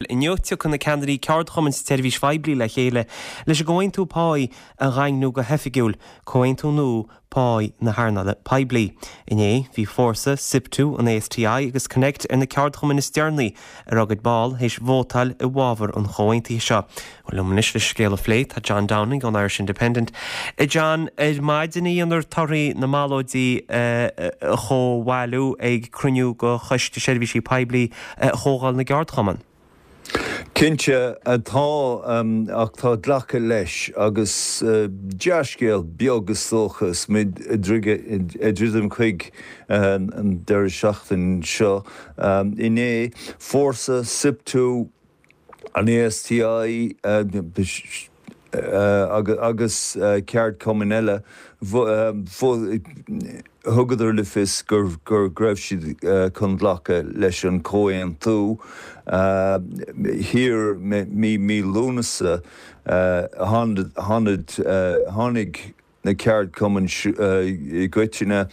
Inniu tiocfaidh na ceannairí ceardchumainn sa tseirbhís phoiblí le chéile leis an gcomhaontú páí a dhaingniú go hoifigiúil, comhaontú nua páí na hearnála poiblí. Inné, bhí Fórsa, Siptu, an ASTI agus Connect ar na ceardchumainn is deireanaí a raibh a gcuid ball théis vótáil i bhfabhar an chomhaontaithe seo. Bhuel, liom anois leis an scéal a phlé tá John Downing ón Irish Independent. A John, ar maidin a dhéanfar torthaí na mballóidí a chomhbhailiú ag cruinniú de Choiste Seirbhísí Poiblí Chomhdháil na gCeardchumann. Cinnte, tá, ach tá glactha leis, agus dea-scéal beag is dócha is muid ag druidim chuig an deireadh seachtaine seo. Inné, Fórsa, Siptu, an ASTI agus ceardchumainn eile, thugadar le fios go raibh siad chun glacadh leis an chomhaontú. Thiar mí Lúnasa, tháinig na ceardchumainn i gcoitinne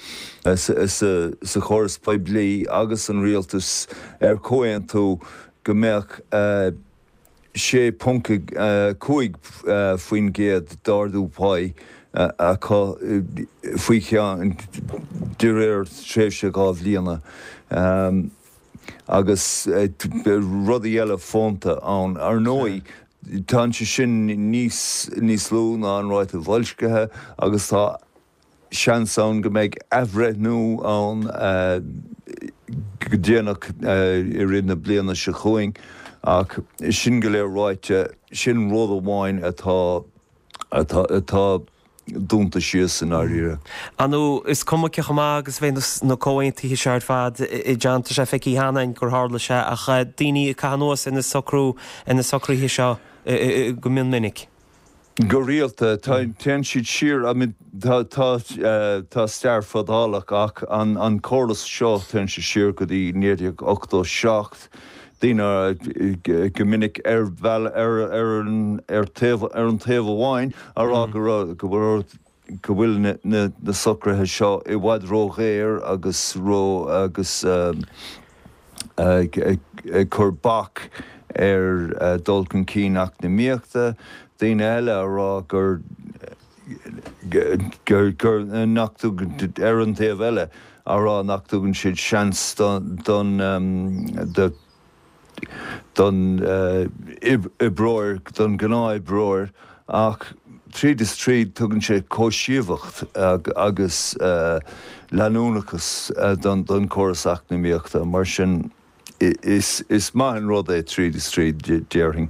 sa chóras poiblí agus an rialtas ar chomhaontú go mbeadh 6.5% d'ardú páí acu faoi cheann de réir tréimhse 2 bhliana agus rudaí eile fónta ann. Ar ndóigh, tá sé sin níos níos lú ná an ráta boilscithe agus tá seans ann go mbeidh athbhreithniú ann go déanach i rith na bliana seo chugainn ach sin go léir ráite, sin rud amháin atá atá dúnta síos i ndáiríre. Ar ndóigh, is cuma cé chomh maith agus a bheidh na comhaontuithe seo ar fad, a John, tá sé feicthe cheana againn gur tharla sé ach daoine ag caitheamh anuas ar na socrú, ar na socruithe seo go mion minic. Go rialta, téann siad siar, I mean, tá, tá, tá stair fadálach ach an, an córas seo, téann sé siar go dtí 1987, daoine go minic ar bheal, ar, ar an, ar taobh, ar an taobh amháin a rá go raibh, go raibh, go bhfuil na, na, na socruithe seo i bhfad ró-ghéar agus ró, agus. ag cur bac ar dul chun cinn eacnamaíochta, daoine eile a rá gur gur nach dtugann, ar an taobh eile, a rá nach dtugann siad seans don don oibreoir, don ghnáth-oibreoir ach tríd is tríd tugann sé cobhsaíocht agus leanúnachas don chóras eacnamaíochta. Mar sin is maith an rud é tríd is tríd, déarfainn.